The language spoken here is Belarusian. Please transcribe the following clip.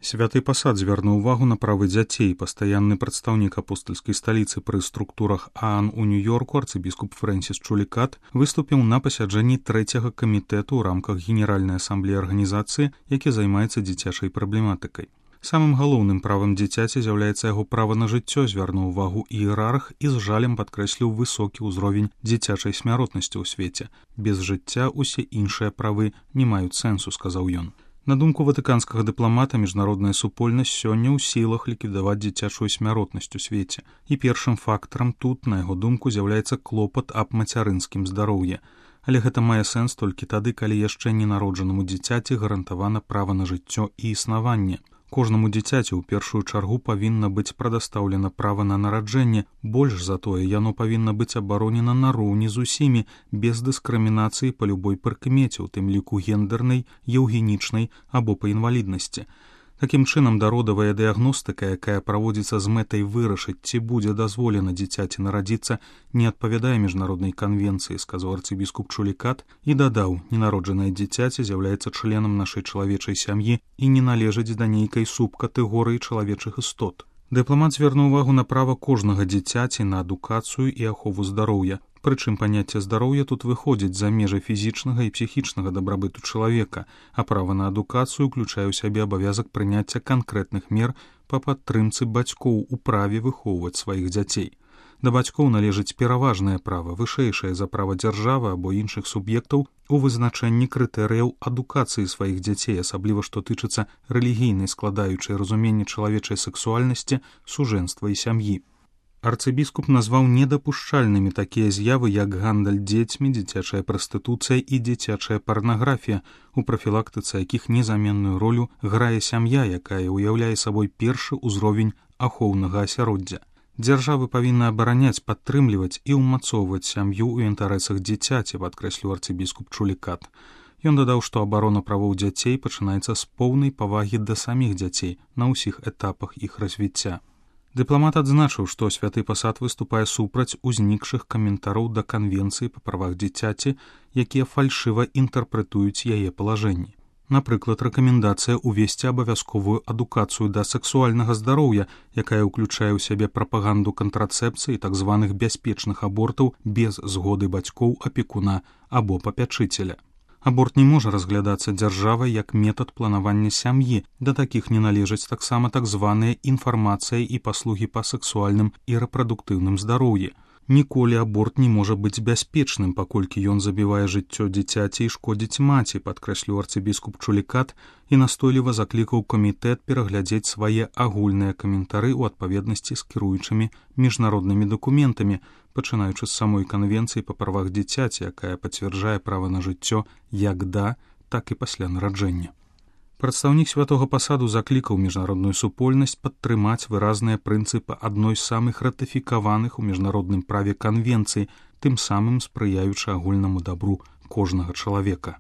Святы пасад звярнуў увагу на правы дзяцей. Пастаянны прадстаўнік апостальскай сталіцы пры структурах ААН у Нью-Йорку арцыбіскуп Фрэнсіс Чулікат выступіў на пасяджэнні 3-го камітэту ў рамках Генеральнай асамблеі арганізацыі, які займаецца дзіцячай праблематыкай. Самым галоўным правам дзіцяці з'яўляецца яго права на жыццё, звярнуў увагу іерарх і з жалем падкрэсліў высокі ўзровень дзіцячай смяротнасці ў свеце. Без жыцця ўсе іншыя правы не маюць сэнсу, сказаў ён. На думку ватыканскага дыпламата, міжнародная супольнасць сёння ў сілах ліквідаваць дзіцячую смяротнасць у свеце. І першым фактарам тут, на яго думку, з'яўляецца клопат аб мацярынскім здароўі. Але гэта мае сэнс толькі тады, калі яшчэ ненароджанаму дзіцяці гарантавана права на жыццё і існаванне. Кожнаму дзіцяці ў першую чаргу павінна быць прадастаўлена права на нараджэнне, больш за тое, яно павінна быць абаронена нароўні з усімі, без дыскрымінацыі па любой прыкмеце, у тым ліку гендернай, еўгенічнай або па інваліднасці. Такім чынам, дародавая дыягностыка, якая праводзіцца з мэтай вырашыць, ці будзе дазволена дзіцяці нарадзіцца, не адпавядае міжнароднай канвенцыі, сказаў арцыбіскуп Чулікат і дадаў, ненароджанае дзіцяці з'яўляецца членам нашай чалавечай сям'і і не належыць да нейкай субкатэгорыі чалавечых істот. Дыпламат звярнуў увагу на права кожнага дзіцяці на адукацыю і ахову здароўя. Прычым паняцце здароўя тут выходзіць за межы фізічнага і псіхічнага дабрабыту чалавека, а права на адукацыю ўключае ў сябе абавязак прыняцця канкрэтных мер па падтрымцы бацькоў у праве выхоўваць сваіх дзяцей. Да бацькоў належыць пераважнае права, вышэйшае за права дзяржавы або іншых суб'ектаў у вызначэнні крытэрыяў адукацыі сваіх дзяцей, асабліва што тычыцца рэлігійнай складаючай разуменні чалавечай сэксуальнасці, сужэнства і сям'і. Арцыбіскуп назваў недапушчальнымі такія з'явы, як гандаль дзецьмі, дзіцячая прастытуцыя і дзіцячая парнаграфія, у прафілактыцы якіх незаменную ролю грае сям'я, якая ўяўляе сабой першы ўзровень ахоўнага асяроддзя. Дзяржавы павінны абараняць, падтрымліваць і ўмацоўваць сям'ю ў інтарэсах дзіцяці, падкрэсліў арцыбіскуп Чулікат. Ён дадаў, што абарона правоў дзяцей пачынаецца з поўнай павагі да саміх дзяцей на ўсіх этапах іх развіцця. Дыпламат адзначыў, што святы пасад выступае супраць узнікшых каментараў да канвенцыі па правах дзіцяці, якія фальшыва інтэрпрэтуюць яе палажэнні. Напрыклад, рэкамендацыя ўвесці абавязковую адукацыю да сэксуальнага здароўя, якая ўключае ў сябе прапаганду кантрацэпцыі і так званых бяспечных абортаў без згоды бацькоў, апекуна або папячыцеля. Аборт не можа разглядацца дзяржавай як метад планавання сям'і, да такіх не належаць таксама так званыя інфармацыя і паслугі па сэксуальным і рэпрадуктыўным здароўі. Ніколі аборт не можа быць бяспечным, паколькі ён забівае жыццё дзіцяці і шкодзіць маці, падкрэсліў арцыбіскуп Чулікат і настойліва заклікаў камітэт пераглядзець свае агульныя каментары ў адпаведнасці з кіруючымі міжнароднымі дакументамі, пачынаючы з самой канвенцыі па правах дзіцяці, якая пацвярджае права на жыццё як да, так і пасля нараджэння. Прадстаўнік святога пасаду заклікаў міжнародную супольнасць падтрымаць выразныя прынцыпы адной з самых ратыфікаваных у міжнародным праве канвенцый, тым самым спрыяючы агульнаму дабру кожнага чалавека.